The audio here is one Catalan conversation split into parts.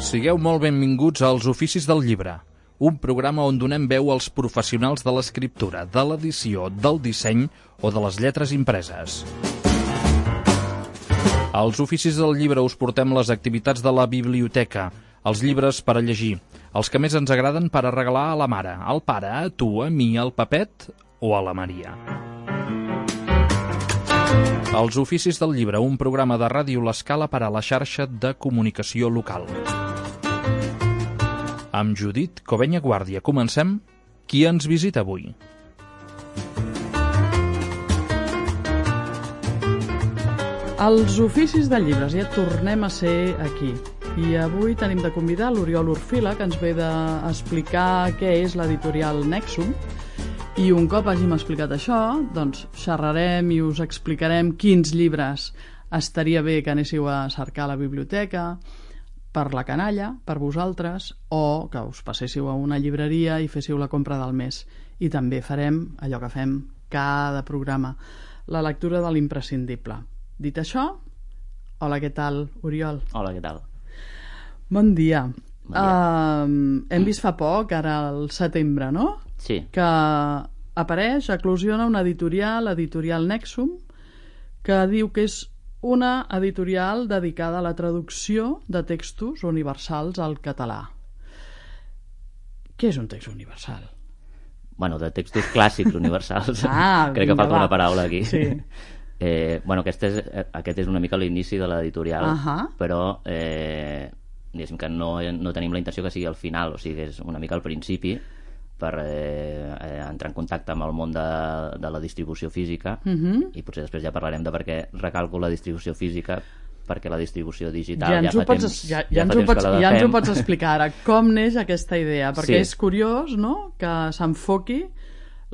Sigueu molt benvinguts als Oficis del Llibre, un programa on donem veu als professionals de l'escriptura, de l'edició, del disseny o de les lletres impreses. Als Oficis del Llibre us portem les activitats de la biblioteca, els llibres per a llegir, els que més ens agraden per a regalar a la mare, al pare, a tu, a mi, al Pepet o a la Maria. Els Oficis del Llibre, un programa de Ràdio L'Escala per a la xarxa de comunicació local. Amb Judit Covenya Guàrdia. Comencem. Qui ens visita avui? Els Oficis de Llibres, ja tornem a ser aquí. I avui tenim de convidar l'Oriol Orfila, que ens ve d'explicar què és l'editorial Nexum. I un cop hàgim explicat això, doncs xerrarem i us explicarem quins llibres estaria bé que anéssiu a cercar a la biblioteca, per la canalla, per vosaltres, o que us passéssiu a una llibreria i féssiu la compra del mes. I també farem allò que fem cada programa, la lectura de l'imprescindible. Dit això, hola, què tal, Oriol? Hola, què tal? Bon dia. Hem vist fa poc, ara al setembre, no? Sí. Que apareix, eclosiona una editorial, l'editorial Nexum, que diu que és una editorial dedicada a la traducció de textos universals al català. Què és un text universal? Bueno, de textos clàssics universals. Crec que falta una paraula aquí. Sí. Aquest és una mica l'inici de l'editorial, però diguéssim que no tenim la intenció que sigui al final, o sigui, és una mica al principi, per entrar en contacte amb el món de la distribució física, i potser després ja parlarem de per què recalco la distribució física, perquè la distribució digital ja ens ho pots explicar ara, com neix aquesta idea, perquè és curiós, no?, que s'enfoqui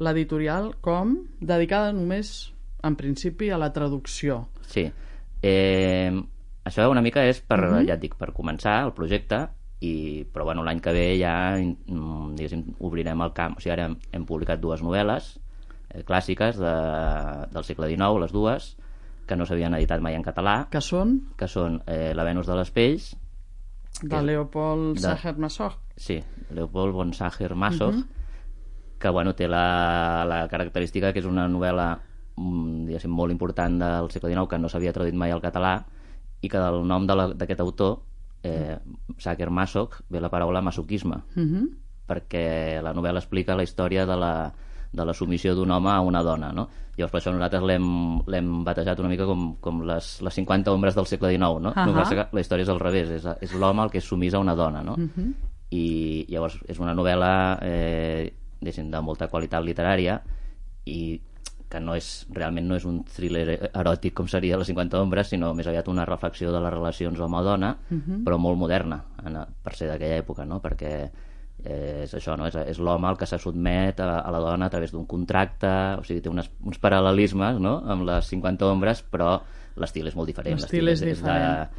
l'editorial com dedicada només, en principi, a la traducció. Sí. Això una mica és per, ja et dic, per començar el projecte, però bueno, l'any que ve ja diguéssim, obrirem el camp. O sigui, ara hem publicat dues novel·les clàssiques del segle XIX, les dues, que no s'havien editat mai en català. Que són? Que són La Venus de les Pells, de Leopold Sacher-Masoch. Sí, Leopold von Sacher-Masoch, que bueno, té la característica que és una novel·la diguéssim, molt important del segle XIX, que no s'havia traduït mai al català, i que del nom d'aquest autor, Sacher-Masoch, ve la paraula masoquisme, perquè la novel·la explica la història de la submissió d'un home a una dona, no? Llavors per això nosaltres l'hem batejat una mica com les 50 ombres del segle XIX, no? La història és al revés, és l'home el que és sumís a una dona, no? I llavors és una novel·la de molta qualitat literària i que realment no és un thriller eròtic com seria les 50 ombres, sinó més aviat una reflexió de les relacions home-dona, però molt moderna per ser d'aquella època, no? Perquè és això, no? És l'home el que se sotmet a la dona a través d'un contracte, o sigui, té uns paral·lelismes, no?, amb les 50 ombres, però l'estil és molt diferent. L'estil és diferent.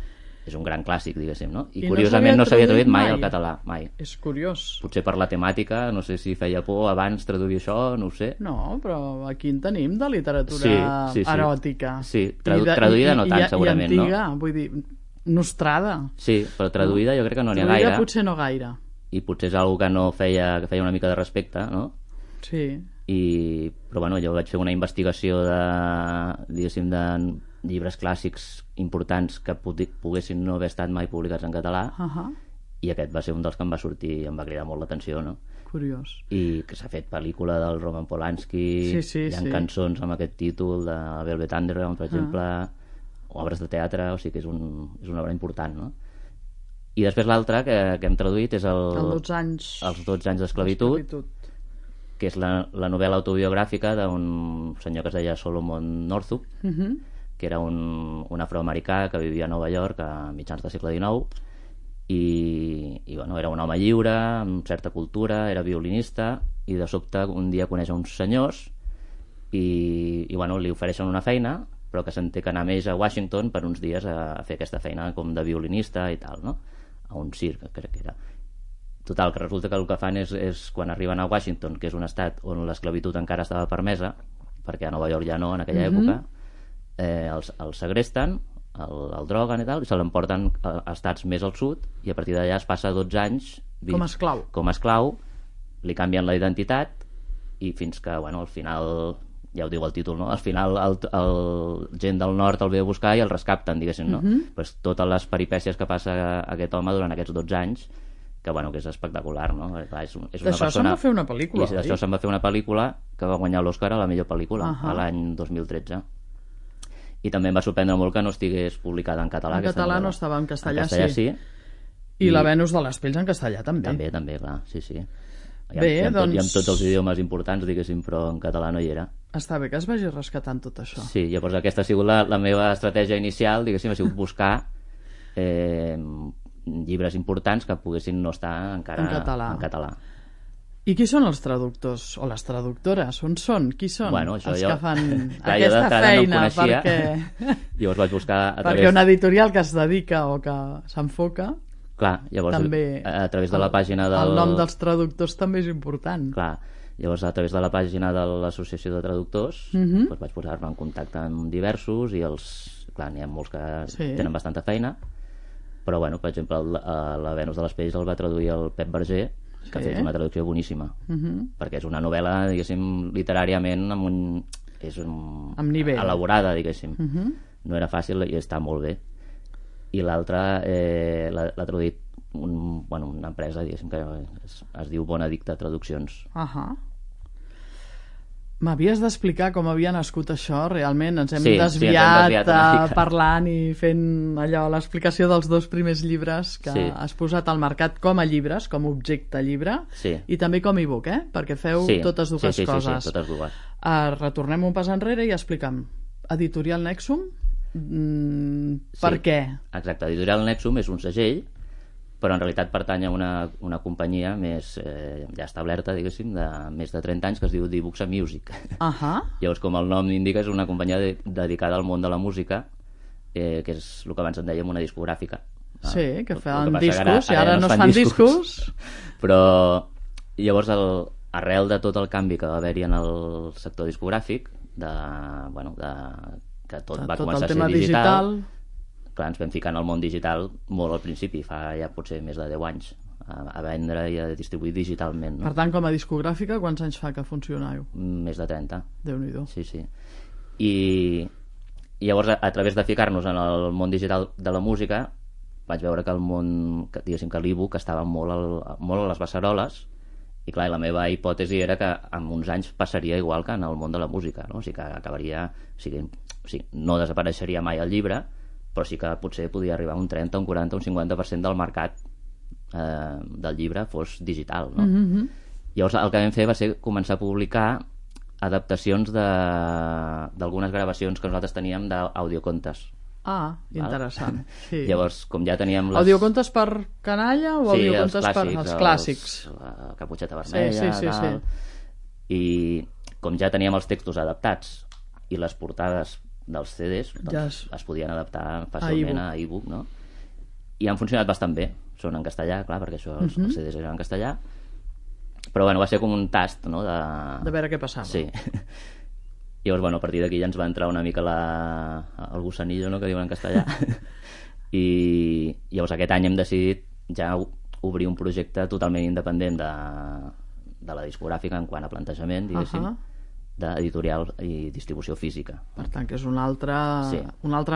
És un gran clàssic, diguéssim, no? I curiosament no s'havia traduït mai al català, mai. És curiós. Potser per la temàtica, no sé si feia por abans traduir això, no ho sé. No, però aquí en tenim de literatura eròtica. Sí, traduïda no tant, segurament, no? I antiga, vull dir, nostrada. Sí, però traduïda jo crec que no n'hi ha gaire. Traduïda potser no gaire. I potser és una que feia una mica de respecte, no? Sí. Però bueno, jo vaig fer una investigació diguéssim, de llibres clàssics importants que poguessin no haver estat mai publicats en català, i aquest va ser un dels que em va sortir i em va cridar molt l'atenció, no? Curiós. I que s'ha fet pel·lícula del Roman Polanski, hi ha cançons amb aquest títol de Velvet Underground, per exemple, obres de teatre, o sigui que és una obra important, no? I després l'altra que hem traduït és els 12 anys d'esclavitud, que és la novel·la autobiogràfica d'un senyor que es deia Solomon Northup, que era un afroamericà que vivia a Nova York a mitjans del segle XIX, i bueno, era un home lliure, amb certa cultura, era violinista, i de sobte un dia coneix uns senyors i bueno, li ofereixen una feina, però que s'entén que anar més a Washington per uns dies a fer aquesta feina com de violinista i tal, no? A un circ, crec que era. Total, que resulta que el que fan és quan arriben a Washington, que és un estat on l'esclavitud encara estava permesa, perquè a Nova York ja no, en aquella època, els segresten, el droguen i tal, i se l'emporten a estats més al sud, i a partir d'allà es passa 12 anys com a esclau, li canvien la identitat, i fins que, bueno, al final, ja ho diu el títol, no? Al final el gent del nord el ve a buscar i el rescapten, diguéssim, no? Pues totes les peripècies que passa aquest home durant aquests 12 anys, que, bueno, que és espectacular, no? Clar, és una d'això persona... se'n va fer una pel·lícula, I d'això se'n va fer una pel·lícula que va guanyar l'Oscar a la millor pel·lícula, a l'any 2013. I també em va sorprendre molt que no estigués publicada en català. En català no estava, en castellà sí. I la Venus de les pells en castellà també. També, clar, sí. Bé, doncs... I amb tots els idiomes importants, diguéssim, però en català no hi era. Està bé que es vagi rescatant tot això. Sí, llavors aquesta ha sigut la meva estratègia inicial, diguéssim, ha sigut buscar llibres importants que poguessin no estar encara en català. I qui són els traductors o les traductores? On són? Qui són els que fan clar, aquesta feina? No perquè... Llavors vaig buscar perquè una editorial que es dedica o que s'enfoca, clar, llavors també a través de la pàgina el nom dels traductors també és important. Clar, llavors a través de la pàgina de l'Associació de Traductors doncs vaig posar-me en contacte amb diversos i clar, n'hi ha molts que tenen bastanta feina, però bueno, per exemple la Venus de les pells el va traduir el Pep Verger, que ha fet una traducció boníssima, perquè és una novel·la, diguéssim, literàriament amb nivell elaborada, diguéssim. No era fàcil i està molt bé. I l'altra l'ha traduït una empresa, diguéssim, que es diu Bonedicte Traduccions. M'havies d'explicar com havia nascut això, realment. Ens hem desviat parlant i fent allò, l'explicació dels 2 primers llibres que has posat al mercat com a llibres, com a objecte llibre, i també com a e-book, perquè feu totes dues coses. Sí, totes dues. Retornem un pas enrere i explica'm. Editorial Nexum, per què? Exacte, Editorial Nexum és un segell, però en realitat pertany a una companyia més ja establerta, diguéssim, de més de 30 anys, que es diu D-Books and Music. Llavors, com el nom indica, és una companyia dedicada al món de la música, que és el que abans en dèiem una discogràfica. Sí, que fan discos, i ara no es fan discos. Però llavors, arrel de tot el canvi que va haver-hi en el sector discogràfic, que tot va començar a ser digital, clar, ens vam ficar en el món digital molt al principi, fa ja potser més de 10 anys, a vendre i a distribuir digitalment. Per tant, com a discogràfica, quants anys fa que funcioneu? Més de 30. Déu-n'hi-do. Sí. I llavors, a través de ficar-nos en el món digital de la música, vaig veure que el món, diguéssim, que l'e-book estava molt a les beceroles, i clar, la meva hipòtesi era que en uns anys passaria igual que en el món de la música, no? O sigui que acabaria... O sigui, no desapareixeria mai el llibre, però sí que potser podia arribar a un 30, un 40, un 50% del mercat del llibre fos digital, no? Llavors el que vam fer va ser començar a publicar adaptacions d'algunes gravacions que nosaltres teníem d'audiocontes. Interessant. Sí. Llavors, com ja teníem audiocontes per canalla o audiocontes per els clàssics? La Caputxeta Vermella, tal. I com ja teníem els textos adaptats i les portades dels CDs, doncs es podien adaptar fàcilment a e-book, no? I han funcionat bastant bé. Són en castellà, clar, perquè això els CDs eren en castellà, però bueno, va ser com un tast, no? De veure què passava. Sí. Llavors, bueno, a partir d'aquí ja ens va entrar una mica el gusanillo, no?, que diuen en castellà. I llavors aquest any hem decidit ja obrir un projecte totalment independent de la discogràfica en quant a plantejament, diguéssim, d'editorial i distribució física. Per tant, que és un altre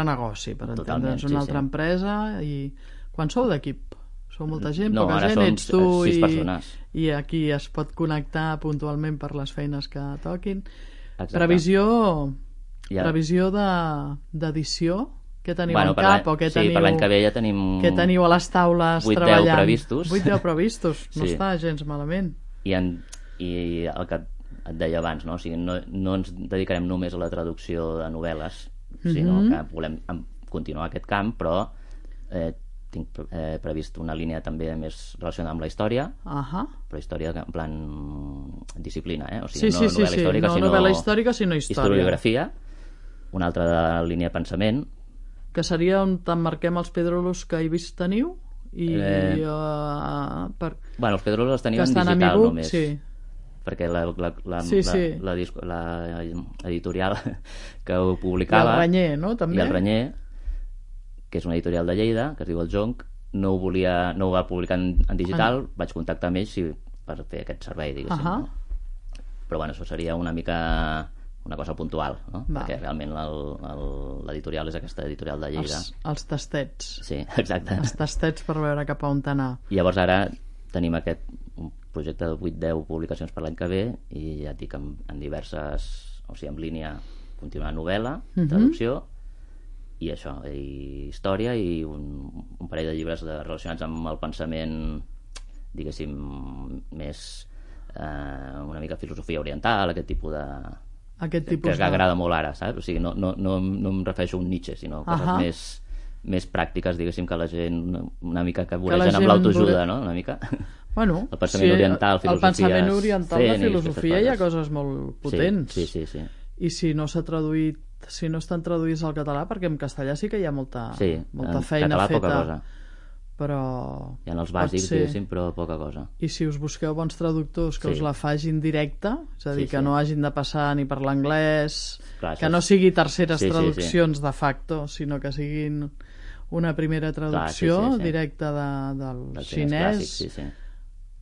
negoci, per entendre'ns, una altra empresa. I quan sou d'equip? Sou molta gent, poca gent? Ets tu 6 persones. I aquí es pot connectar puntualment per les feines que toquin. Exacte. Previsió d'edició? Què teniu en cap? O què teniu, per l'any que ve ja tenim... Què teniu a les taules treballant? 8-10 previstos. 8-10 previstos, no està gens malament. I el que et deia abans, no? O sigui, no ens dedicarem només a la traducció de novel·les, sinó que volem continuar aquest camp, però tinc previst una línia també més relacionada amb la història, però història en plan disciplina, o sigui, no novel·la històrica, sinó historiografia. Una altra de línia de pensament, que seria on t'emmarquem els Pedrolos que he vist teniu i els Pedrolos els tenim en digital només, perquè la editorial que ho publicava, i el Renyer, no? També? I el Renyer que és una editorial de Lleida, que es diu El Jonc, no ho va publicar en digital, vaig contactar amb ells per fer aquest servei, diguéssim. No? Però bueno, això seria una mica una cosa puntual, no? Perquè realment l'editorial és aquesta editorial de Lleida. Els tastets. Sí, exacte. Els tastets per veure cap a on anar. I llavors ara tenim un projecte de 8-10 publicacions per l'any que ve i ja et dic en diverses, o sigui, en línia continuar novel·la, traducció i això, i història i un parell de llibres relacionats amb el pensament, diguéssim, més una mica filosofia oriental, aquest tipus que agrada molt ara, saps? O sigui, no em refereixo a un Nietzsche, sinó coses més pràctiques, diguéssim, que la gent una mica que voregen amb l'autoajuda, no? Una mica. Bueno, el pensament oriental, filosofia... El pensament oriental de filosofia hi ha coses molt potents. Sí. I si no s'ha traduït, si no estan traduïts al català, perquè en castellà sí que hi ha molta feina català, feta. Poca cosa. Però hi ha els bàsics, diguéssim, però poca cosa. I si us busqueu bons traductors que us la facin directa, és a dir, que no hagin de passar ni per l'anglès, que no sigui terceres traduccions de facto, sinó que siguin una primera traducció directa del xinès.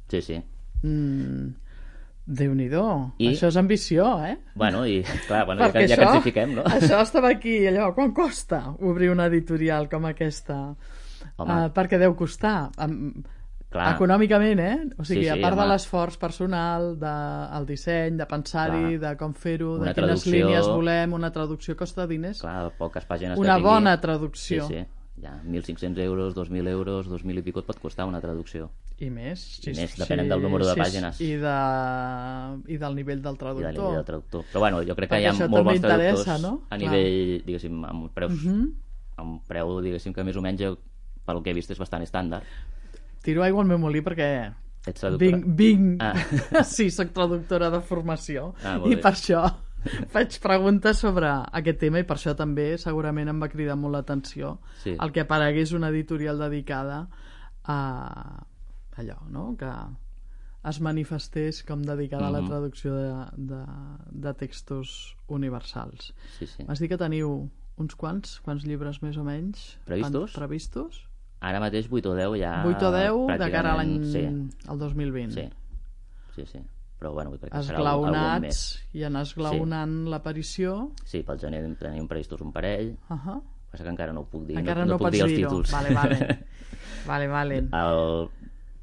Sí. Déu-n'hi-do, això és ambició, Bueno, i clar, ja que ens hi fiquem, no? Això estava aquí, allò, quan costa obrir una editorial com aquesta? Perquè deu costar econòmicament, o sigui, a part de l'esforç personal, del disseny, de pensar-hi, de com fer-ho, de quines línies volem, una traducció costa diners. Clar, poques pàgines una bona traducció. Sí, ja, 1.500 euros, 2.000 euros, 2.000 i pico et pot costar una traducció. I més. Depenent del número de pàgines. I del nivell del traductor. Però bueno, jo crec que hi ha molt bons traductors a nivell, diguéssim, amb preu, diguéssim, que més o menys pel que he vist és bastant estàndard. Tiro aigua al meu molí perquè sí, soc traductora de formació i per això faig preguntes sobre aquest tema i per això també segurament em va cridar molt l'atenció el que aparegués una editorial dedicada a allò, no? Que es manifestés com dedicada a la traducció de textos universals. M'has dit que teniu quants llibres més o menys previstos? Ara mateix 8 o 10 ja... 8 o 10 de cara a l'any al 2020. Sí. Però bueno, crec que serà esglaonats més. I anar esglaonant l'aparició. Sí, pel gener tenim previstos un parell. Passa que encara no ho puc dir. Encara no puc dir els títols. Vale. Al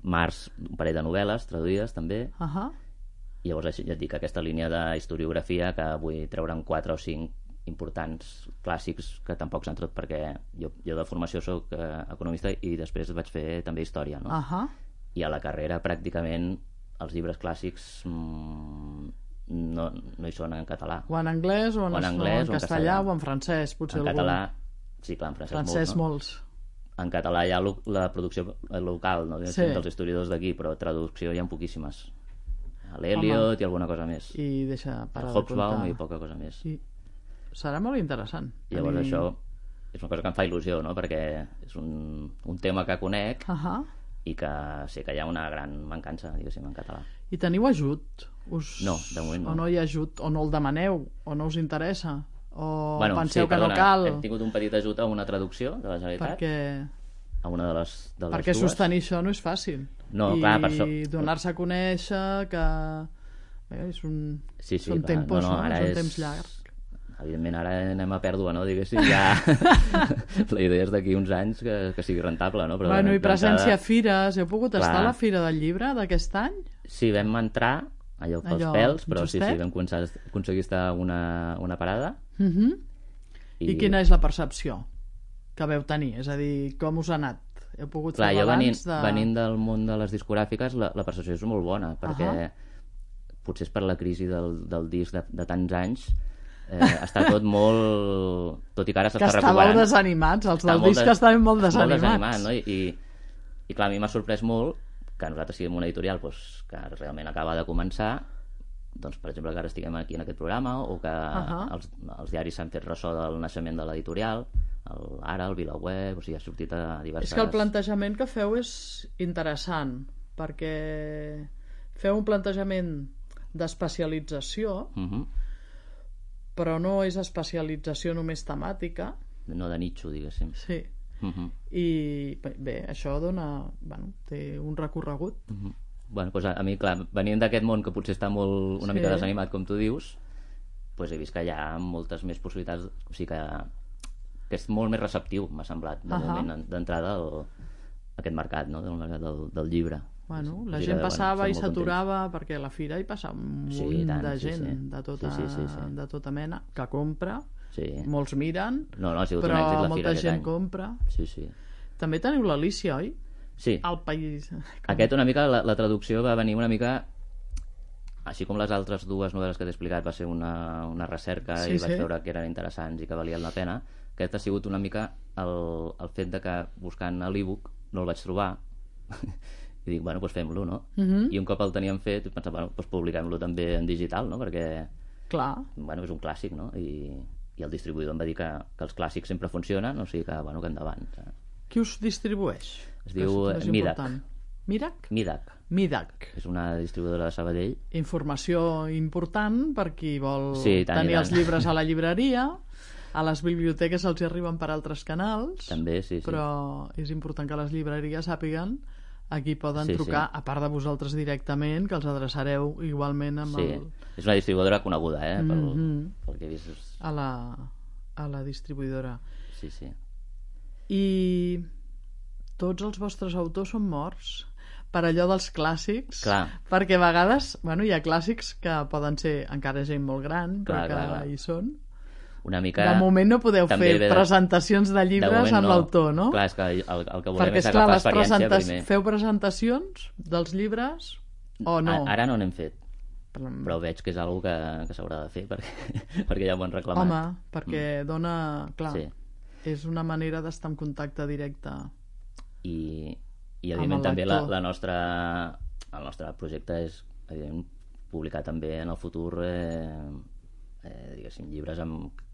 març un parell de novel·les traduïdes també. I llavors ja et dic, aquesta línia d'historiografia que vull treure'n 4 o 5 importants clàssics que tampoc s'han tret perquè jo de formació soc economista i després vaig fer també història, no? I a la carrera pràcticament els llibres clàssics no hi són en català. O en anglès, o en castellà, o en francès, potser algun. En català, sí, clar, en francès molts. En català hi ha la producció local, no? Dels historiadors d'aquí, però traducció hi ha poquíssimes. L'Eliot i alguna cosa més. I deixa parar de Hobsbawm i poca cosa més. Serà molt interessant. I llavors això és una cosa que em fa il·lusió, no? Perquè és un tema que conec i que sé que hi ha una gran mancança, diguéssim, en català. I teniu ajut? No, de moment no. O no hi ha ajut? O no el demaneu? O no us interessa? O penseu que no cal? Hem tingut un petit ajut a una traducció de la Generalitat. A una de les perquè dues. Sostenir això no és fàcil. No, clar, per això. I donar-se a conèixer que... són tempos, no? Són temps llargs. Evidentment ara anem a pèrdua, no? Diguéssim, ja la idea és d'aquí uns anys que sigui rentable, no? Però i presència a fires, heu pogut estar a la Fira del Llibre d'aquest any? Sí, vam entrar allò pels pèls, però sí, vam aconseguir estar una parada. I quina és la percepció que veu tenir? És a dir, com us ha anat? Heu pogut fer balanç de... Venint del món de les discogràfiques, la percepció és molt bona, perquè potser és per la crisi del disc de tants anys, està tot molt... Tot i que ara s'està recuperant. Que estàveu desanimats, els del disc estaven molt desanimats. No? I clar, a mi m'ha sorprès molt que nosaltres siguem una editorial que realment acaba de començar, doncs, per exemple, que ara estiguem aquí en aquest programa, o que els diaris s'han fet ressò del naixement de l'editorial, Ara, el VilaWeb, o sigui, ha sortit a diverses... És que el plantejament que feu és interessant, perquè feu un plantejament d'especialització, però no és especialització només temàtica. No de nicho, diguéssim. Sí. i bé, això dona... té un recorregut. Bueno, doncs a mi, clar, venint d'aquest món que potser està una mica desanimat, com tu dius, doncs he vist que hi ha moltes més possibilitats, o sigui que és molt més receptiu, m'ha semblat, de moment d'entrada aquest mercat, no? Del mercat del llibre. Bueno, la gent passava i s'aturava perquè a la fira hi passava un munt de gent de tota mena que compra, molts miren, però molta gent compra. També teniu l'Alícia, oi? Sí. Al país. Aquest una mica, la traducció va venir una mica, així com les altres dues novel·les que t'he explicat, va ser una recerca i vaig veure que eren interessants i que valien la pena. Aquest ha sigut una mica el fet de que buscant a l'e-book no el vaig trobar i dic, bueno, doncs fem-lo, no? I un cop el teníem fet, vaig pensar, bueno, doncs publiquem-lo també en digital, no? Perquè, bueno, és un clàssic, no? I el distribuïdor em va dir que els clàssics sempre funcionen, o sigui que, bueno, que endavant. Qui us distribueix? Es diu Midac. Midac. És una distribuïdora de Sabadell. Informació important per qui vol tenir els llibres a la llibreria. A les biblioteques els hi arriben per altres canals. També, sí. Però és important que les llibreries sàpiguen a qui poden trucar, a part de vosaltres directament, que els adreçareu igualment amb el... És una distribuïdora coneguda, pel que he vist. A la distribuïdora. Sí. I tots els vostres autors són morts per allò dels clàssics. Clar. Perquè a vegades, hi ha clàssics que poden ser encara gent molt gran, però que hi són. Una mica... De moment no podeu fer presentacions de llibres amb l'autor, no? Clar, és que el que volem és agafar experiència primer. Feu presentacions dels llibres o no? Ara no n'hem fet, però veig que és una cosa que s'haurà de fer perquè ja m'ho han reclamat. Home, perquè dona... Clar, és una manera d'estar en contacte directe i evidentment també el nostre projecte és evidentment publicar també en el futur diguéssim, llibres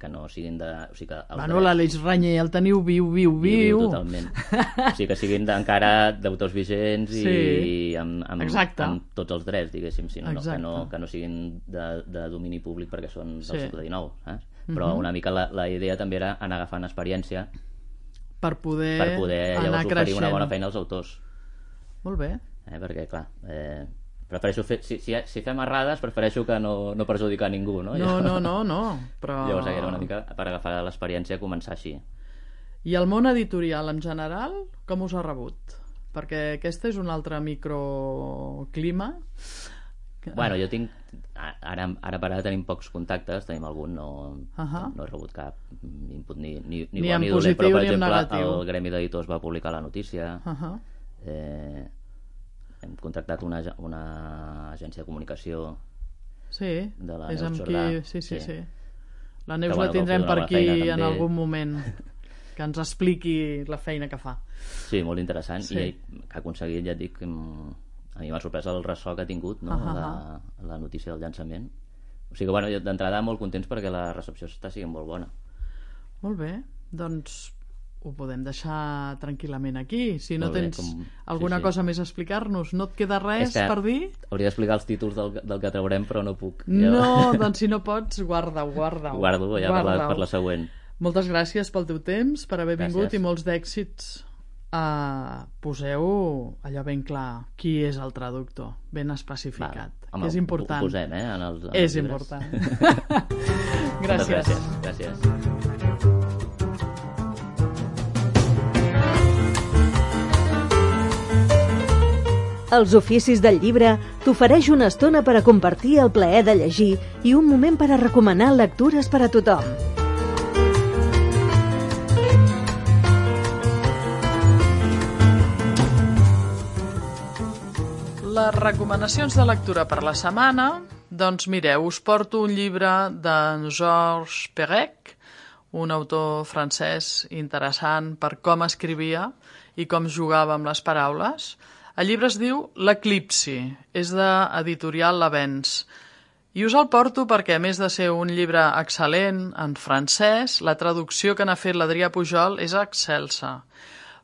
que no siguin de... O sigui que l'Aleix Ranyer el teniu viu. Totalment. O sigui que siguin encara d'autors vigents i amb tots els drets, diguéssim, que no siguin de domini públic perquè són del segle XIX, saps? Però una mica la idea també era anar agafant experiència per poder llavors oferir una bona feina als autors. Molt bé. Perquè, clar, prefereixo fer... Si fem errades, prefereixo que no perjudicar ningú, no? No, però... Llavors era una mica per agafar l'experiència i començar així. I el món editorial en general, com us ha rebut? Perquè aquest és un altre microclima. Bueno, jo tinc... Ara per ara tenim pocs contactes, tenim algun, no he rebut cap input ni bo ni dolent, però per exemple el Gremi d'Editors va publicar la notícia. Hem contractat una agència de comunicació de la Neus Jordà. Sí. La Neus la tindrem per aquí en algun moment, que ens expliqui la feina que fa. Sí, molt interessant, i que ha aconseguit, ja et dic, a mi m'ha sorprès el ressò que ha tingut, no? La notícia del llançament. O sigui que, bueno, d'entrada molt contents perquè la recepció està sent molt bona. Molt bé, doncs ho podem deixar tranquil·lament aquí. Si no tens alguna cosa més a explicar-nos, no et queda res per dir? Hauria d'explicar els títols del que traurem, però no puc. No, doncs si no pots, guarda-ho. Guardo ja per la següent. Moltes gràcies pel teu temps, per haver vingut i molts d'èxits. Poseu allò ben clar, qui és el traductor, ben especificat, que és important. Ho posem, en els és llibres. Important. Gràcies. Els oficis del llibre t'ofereix una estona per a compartir el plaer de llegir i un moment per a recomanar lectures per a tothom. Les recomanacions de lectura per la setmana, doncs mireu, us porto un llibre d'en Georges Perec, un autor francès interessant per com escrivia i com jugava amb les paraules. El llibre es diu L'Eclipsi, és d'editorial L'Avens. I us el porto perquè, a més de ser un llibre excel·lent en francès, la traducció que n'ha fet l'Adrià Pujol és excelsa,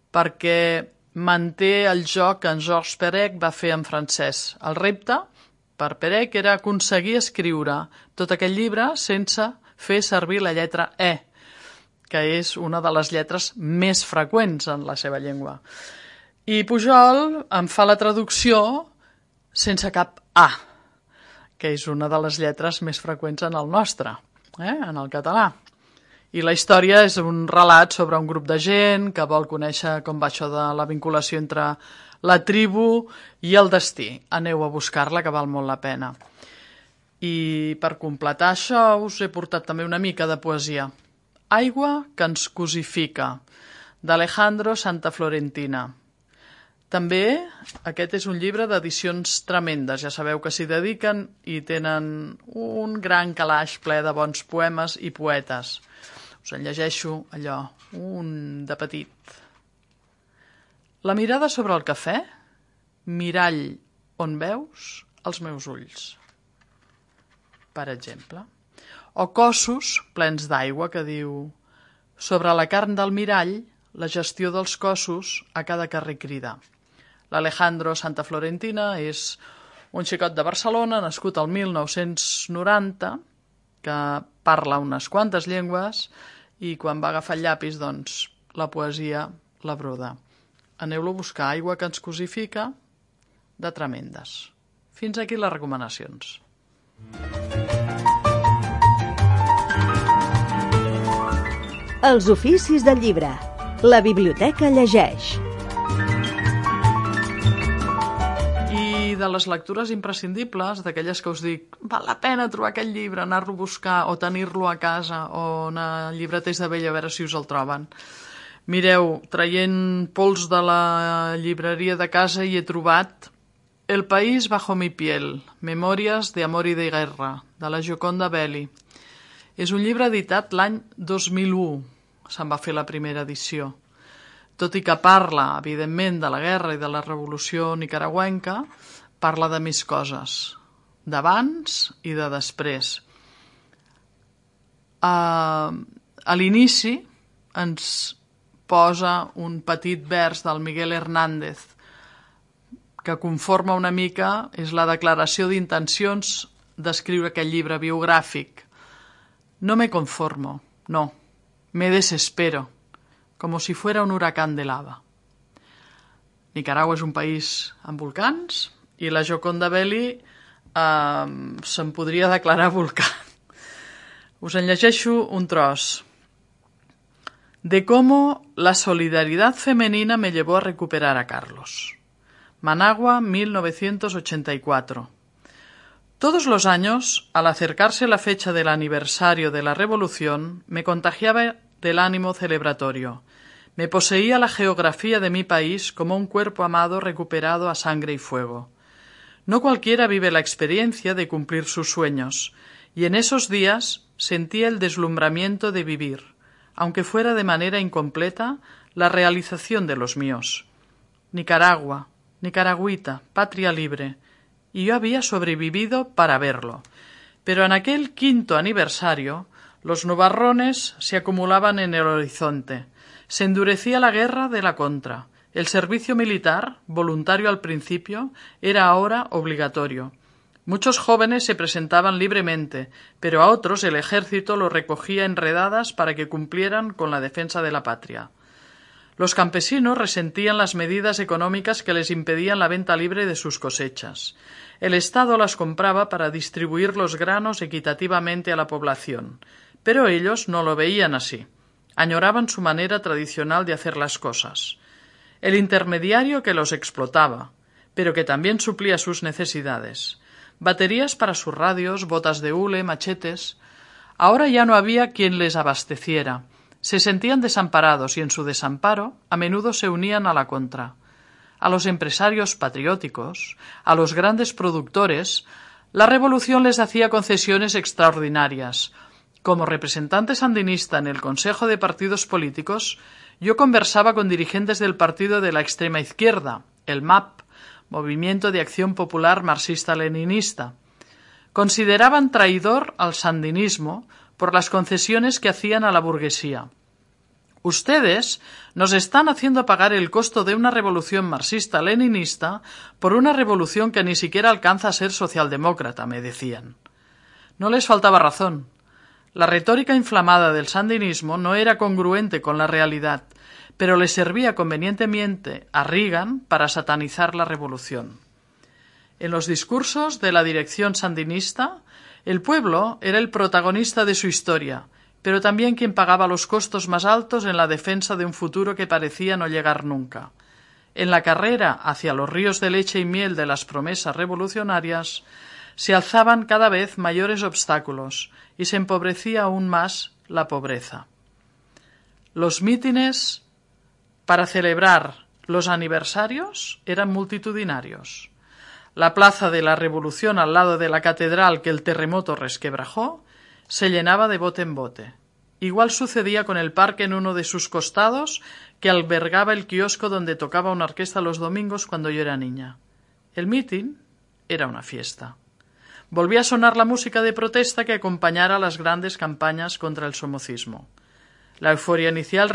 perquè manté el joc que en Georges Perec va fer en francès. El repte per Perec era aconseguir escriure tot aquest llibre sense fer servir la lletra E. que és una de les lletres més freqüents en la seva llengua. I Pujol em fa la traducció sense cap A, que és una de les lletres més freqüents en el nostre, en el català. I la història és un relat sobre un grup de gent que vol conèixer com va això de la vinculació entre la tribu i el destí. Aneu a buscar-la, que val molt la pena. I per completar això us he portat també una mica de poesia. Aigua que ens cosifica, d'Alejandro Santaflorentina. També aquest és un llibre d'edicions tremendes. Ja sabeu que s'hi dediquen i tenen un gran calaix ple de bons poemes i poetes. Us en llegeixo allò, un de petit. La mirada sobre el cafè, mirall on veus els meus ulls, per exemple. O cossos plens d'aigua que diu sobre la carn del mirall, la gestió dels cossos a cada carrer crida. L'Alejandro Santaflorentina és un xicot de Barcelona, nascut al 1990, que parla unes quantes llengües i quan va agafar el llapis, doncs, la poesia la broda. Aneu-lo a buscar, Aigua que ens cosifica, de tremendes. Fins aquí les recomanacions. Els oficis del llibre. La biblioteca llegeix. I de les lectures imprescindibles, d'aquelles que us dic, val la pena trobar aquest llibre, anar-lo a buscar o tenir-lo a casa o anar a llibreters de vell a veure si us el troben. Mireu, traient pols de la llibreria de casa hi he trobat El país bajo mi piel, Memòries de amor y de guerra, de la Gioconda Belli. És un llibre editat l'any 2001, se'n va fer la primera edició. Tot i que parla, evidentment, de la guerra i de la revolució nicaragüenca, parla de més coses, d'abans i de després. A l'inici ens posa un petit vers del Miguel Hernández, que conforma una mica, és la declaració d'intencions d'escriure aquest llibre biogràfic. No me conformo, no, me desespero, como si fuera un huracán de lava. Nicaragua és un país amb volcans i la Gioconda Belli se'n podria declarar volcà. Us en llegeixo un tros. De cómo la solidaridad femenina me llevó a recuperar a Carlos. Managua, 1984. Todos los años, al acercarse la fecha del aniversario de la Revolución, me contagiaba del ánimo celebratorio. Me poseía la geografía de mi país como un cuerpo amado recuperado a sangre y fuego. No cualquiera vive la experiencia de cumplir sus sueños, y en esos días sentía el deslumbramiento de vivir, aunque fuera de manera incompleta, la realización de los míos. Nicaragua, nicaragüita, patria libre, y yo había sobrevivido para verlo. Pero en aquel 5º aniversario, los nubarrones se acumulaban en el horizonte. Se endurecía la guerra de la contra. El servicio militar, voluntario al principio, era ahora obligatorio. Muchos jóvenes se presentaban libremente, pero a otros el ejército los recogía en redadas para que cumplieran con la defensa de la patria. Los campesinos resentían las medidas económicas que les impedían la venta libre de sus cosechas. El Estado las compraba para distribuir los granos equitativamente a la población, pero ellos no lo veían así. Añoraban su manera tradicional de hacer las cosas. El intermediario que los explotaba, pero que también suplía sus necesidades. Baterías para sus radios, botas de hule, machetes. Ahora ya no había quien les abasteciera. Se sentían desamparados y en su desamparo a menudo se unían a la contra. A los empresarios patrióticos, a los grandes productores, la revolución les hacía concesiones extraordinarias. Como representante sandinista en el Consejo de Partidos Políticos, yo conversaba con dirigentes del partido de la extrema izquierda, el MAP, Movimiento de Acción Popular Marxista-Leninista. Consideraban traidor al sandinismo por las concesiones que hacían a la burguesía. Ustedes nos están haciendo pagar el costo de una revolución marxista-leninista por una revolución que ni siquiera alcanza a ser socialdemócrata, me decían. No les faltaba razón. La retórica inflamada del sandinismo no era congruente con la realidad, pero le servía convenientemente a Reagan para satanizar la revolución. En los discursos de la dirección sandinista, el pueblo era el protagonista de su historia, pero también quien pagaba los costos más altos en la defensa de un futuro que parecía no llegar nunca. En la carrera hacia los ríos de leche y miel de las promesas revolucionarias, se alzaban cada vez mayores obstáculos y se empobrecía aún más la pobreza. Los mítines para celebrar los aniversarios eran multitudinarios. La plaza de la Revolución, al lado de la catedral que el terremoto resquebrajó, se llenaba de bote en bote. Igual sucedía con el parque en uno de sus costados, que albergaba el kiosco donde tocaba una orquesta los domingos cuando yo era niña. El mitin era una fiesta. Volvía a sonar la música de protesta que acompañara las grandes campañas contra el somocismo. La euforia inicial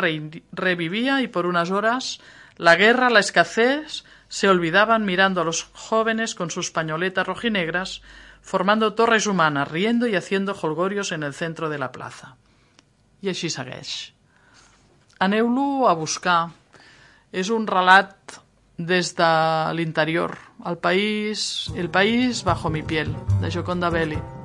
revivía y por unas horas la guerra, la escasez, se olvidaban mirando a los jóvenes con sus pañoletas rojinegras, formando torres humanas, riendo y haciendo jolgorios en el centro de la plaza. I així segueix. Aneu-lo a buscar. És un relat des de l'interior. El país bajo mi piel, de Gioconda Belli.